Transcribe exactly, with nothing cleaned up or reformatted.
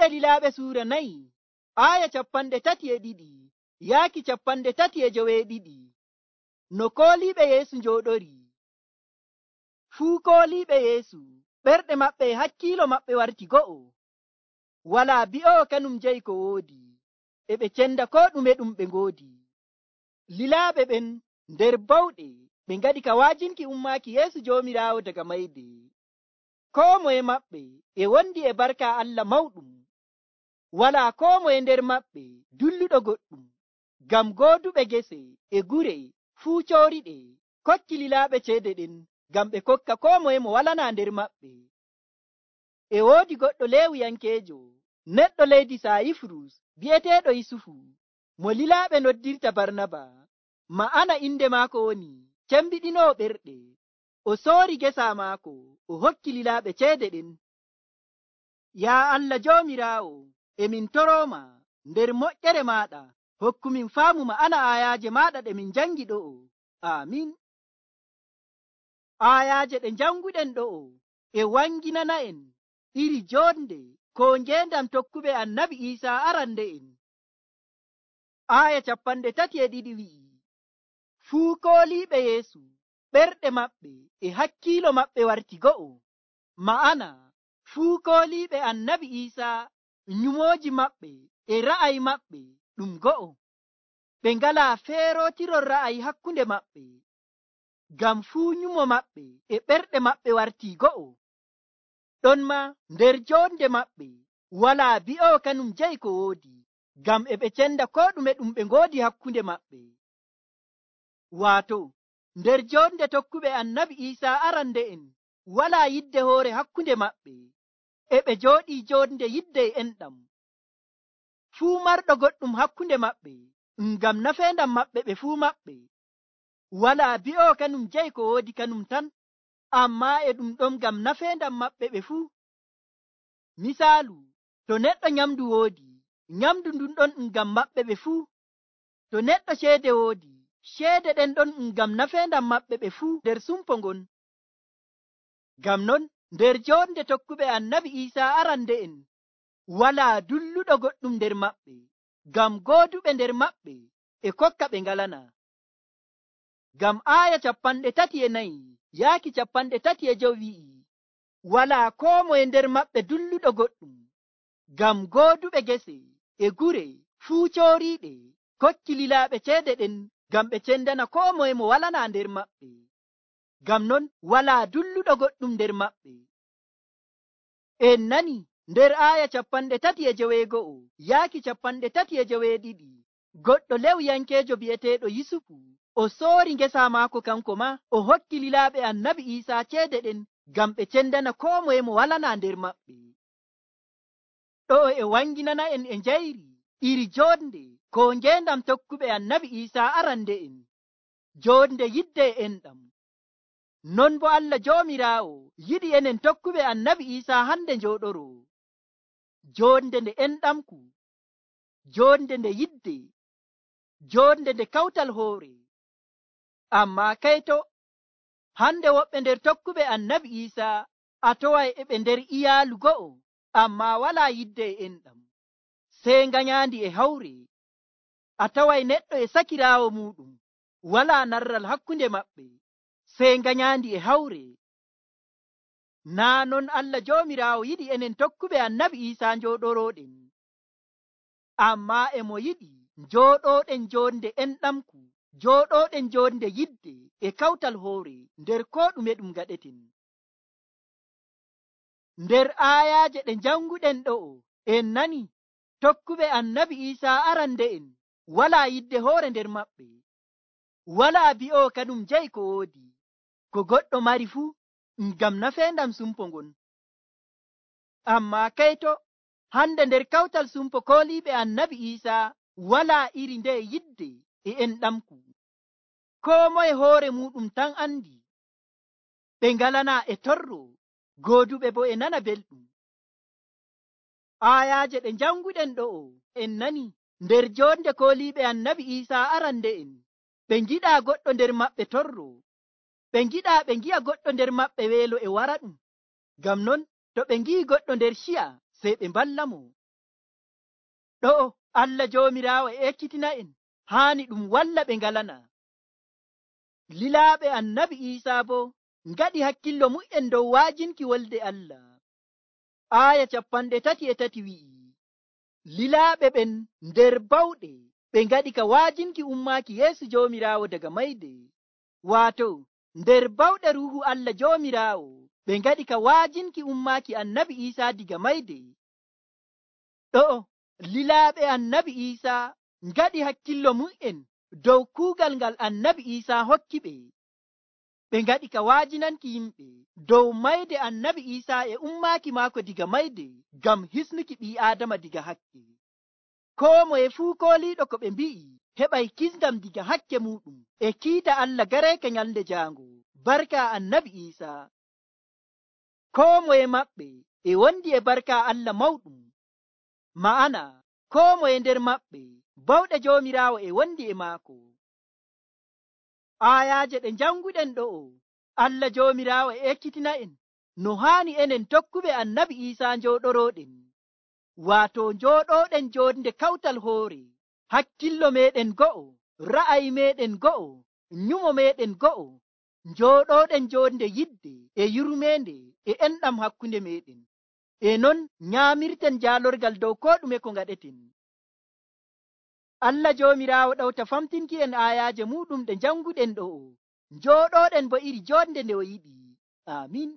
Juuɗe Lilaaɓe suura nayi aya capanɗe tati e ɗiɗi yaaki capanɗe tati e joweeɗiɗi. No kooliiɓe Yeesu njooɗori. Fuu kooliiɓe Yeesu ɓerɗe maɓɓe e hakkiilo maɓɓe warti go'o. Walaa bi'owo kanum jeyi ko woodi, e ɓe cenda koo ɗume ɗum ɓe ngoodi. Lilaaɓe ɓen nder bawɗe ɓe ngaɗi ka waajinki ummaaki Yeesu Joomiraawo daga mayde. Koo moye maɓɓe e wondi e barka Allah mawɗum. Walaa koo moye nder maɓɓe dulluɗo goɗɗum, ngam gooduɓe gese e gure fuu cooriɗe kokki lilaaɓe ceede ɗen ngam ɓe kokka koo moye mo walanaa nder maɓɓe. E woodi goɗɗo Leewiyankeejo, neɗɗo leydi Saayifurus bi'eteeɗo Yusufu, mo lilaaɓe noddirta Barnaba. Ma'ana inde maako woni cembiɗinoowo ɓerɗe. O soori gesa maako, o hokki lilaaɓe ceede ɗen. Yaa Allah Joomiraawo, emin torooma nder moƴƴere maaɗa, hokkumin faamu ma'ana aayaaje maaɗa ɗe min jangi ɗo'o. Aamin. Aayaaje ɗe janguɗen ɗo'o e wanginana'en iri jonde ko ngeendam tokkuɓe annabi Iisaa arande'en. Aaya capanɗe tati e ɗiɗi wi'i, fuu kooliiɓe Yeesu ɓerɗe maɓɓe e hakkiilo maɓɓe warti go'o. Ma'ana fuu kooliiɓe annabi Iisaa nyumooji maɓɓe e ra'ayi maɓɓe ɗum go'o. Ɓe ngalaa feerootirol ra'ayi hakkunde maɓɓe, ngam fuu nyumo maɓɓe e ɓerɗe maɓɓe wartii go'o. Ɗon ma nder jonde maɓɓe walaa bi'owo kanum jeyi ko woodi, ngam e ɓe cenda koo ɗume ɗum ɓe ngoodi hakkunde maɓɓe. Waato nder jonde tokkuɓe annabi Iisaa arande'en walaa yidde hoore hakkunde maɓɓe, e ɓe jooɗii jonde yidde e enɗam. Fuu marɗo goɗɗum hakkunde maɓɓe ngam nafeendam maɓɓe ɓe fuu maɓɓe. Walaa bi'owo kanum jeyi ko woodi kanum tan, ammaa e ɗum ɗon ngam nafeendam maɓɓe ɓe fuu. Misaalu, to neɗɗo nyamdu woodi, nyamdu ndun ɗon ngam maɓɓe ɓe fuu. To neɗɗo ceede woodi, ceede ɗen ɗon ngam nafeendam maɓɓe ɓe fuu nder sumpo ngon. Ngam non nder jonde tokkuɓe annabi Iisaa arande'en walaa dulluɗo goɗɗum nder maɓɓe, ngam gooduɓe nder maɓɓe e kokka ɓe ngalana. Ngam aaya capanɗe tati e nayi yaaki capanɗe tati e jowi wi'i, walaa koo moye nder maɓɓe dulluɗo goɗɗum, ngam gooduɓe gese e gure fuu cooriiɗe kokki lilaaɓe ceede ɗen ngam ɓe cendana koo moye mo walanaa nder maɓɓe. Ngam non walaa dulluɗo goɗɗum nder maɓɓe. En nani nder aaya capanɗe tati e joweego'o yaaki capanɗe tati e joweeɗiɗi, goɗɗo Lewyankeejo bi'eteeɗo Yusufu o soori ngesa maako kanko ma o hokki lilaaɓe annabi Iisaa ceede ɗen ngam ɓe cendana koo moye mo walanaa nder maɓɓe. Ɗo'o e wanginana'en e njayri iri jonde ko ngeendam tokkuɓe annabi Iisaa arande'en, jonde yidde e enɗam. Non bo Allah Joomiraawo yiɗi enen tokkuɓe annabi Iisaa hande njooɗoro jonde nde enɗamku, jonde nde yidde, jonde nde kawtal hoore. Ammaa kayto hande woɓɓe nder tokkuɓe annabi Iisaa a toway e ɓe nder iyaalu go'o, ammaa walaa yidde e enɗam, sey nganyandi e hawre. A taway neɗɗo e sakiraawo muɗum, walaa narral hakkunde maɓɓe, sey nganyandi e hawre. Naa non Allah Joomiraawo yiɗi enen tokkuɓe annabi Iisaa njooɗorooɗen, ammaa e mo yiɗi njooɗooɗen jonde enɗamku, njooɗooɗen jonde yidde e kawtal hoore nder koo ɗume ɗum gaɗeten. Nder aayaaje ɗe njanguɗen ɗo'o en nani tokkuɓe annabi Iisaa arande'en walaa yidde hoore nder maɓɓe, walaa bi'owo kanum jeyi ko woodi, ko goɗɗo mari fuu ngam nafeendam sumpo ngon. Ammaa kayto hande nder kawtal sumpo kooliiɓe annabi Iisaa walaa iri nde yidde e enɗamku. Koo moye hoore muɗum tan andi, ɓe ngalanaa e torro, gooduɓe bo e nana belɗum. Aayaaje ɗe njanguɗen ɗo'o en nani nder jonde kooliiɓe annabi Iisaa arande'en, ɓe ngiɗaa goɗɗo nder maɓɓe torro, ɓe ngiɗaa ɓe ngi'a goɗɗo nder maɓɓe weelo e wara ɗum. Ngam non to ɓe ngi'i goɗɗo nder ciya sey ɓe mballa mo. ɗo'o Allah joomiraawo e ekkitina en haani ɗum walla ɓe ngalana. Lilaaɓe annabi Iisaa bo ngaɗi hakkillo mu'en dow waajinki wolde Allah. Aaya capanɗe tati e tati wi'i, lilaaɓe ɓen nder bawɗe ɓe ngaɗi ka waajinki ummaaki Yeesu joomiraawo daga mayde. Waato nder bawɗe ruuhu Allah joomiraawo ɓe ngaɗi ka waajinki ummaaki annabi Iisaa diga mayde. Ɗo'o lilaaɓe annabi Iisaa ngaɗi hakkillo mu'en dow kuugal ngal annabi Iisaa hokki ɓe. Ɓe ngaɗi ka waajinanki yimɓe dow mayde annabi Iisaa e ummaaki maako diga mayde ngam hisnuki ɓii Aadama diga hakke. Koo moye fuu kooliiɗo ko ɓe mbi'i heɓay kisndam diga hakke muuɗum e kiita Allah gareeke nyalnde jaango barka annabi Iisaa. Koo moye maɓɓe e wondi e barka Allah mawɗum. Ma'ana koo moye nder maɓɓe bawɗe joomiraawo e wondi e maako. Aayaaje ɗe njannguɗen ɗo'o Allah joomiraawo e ekkitina en no haani enen tokkuɓe annabi Iisaa njooɗorooɗen. Waato njooɗooɗen joonde kawtal hoore, hakkillo meeɗen go'o, ra'ayi meeɗen go'o, nyumo meeɗen go'o, njooɗooɗen joonde yidde e yurmeende e enɗam hakkunde meeɗen. E non nyaamirten jaalorgal dow koo ɗume ko ngaɗeten. Allah joomiraawo ɗawta famtinki en aayaaje muɗum ɗe njannguɗen ɗo'o, njooɗooɗen bo iri joonde nde o yiɗi. Amin.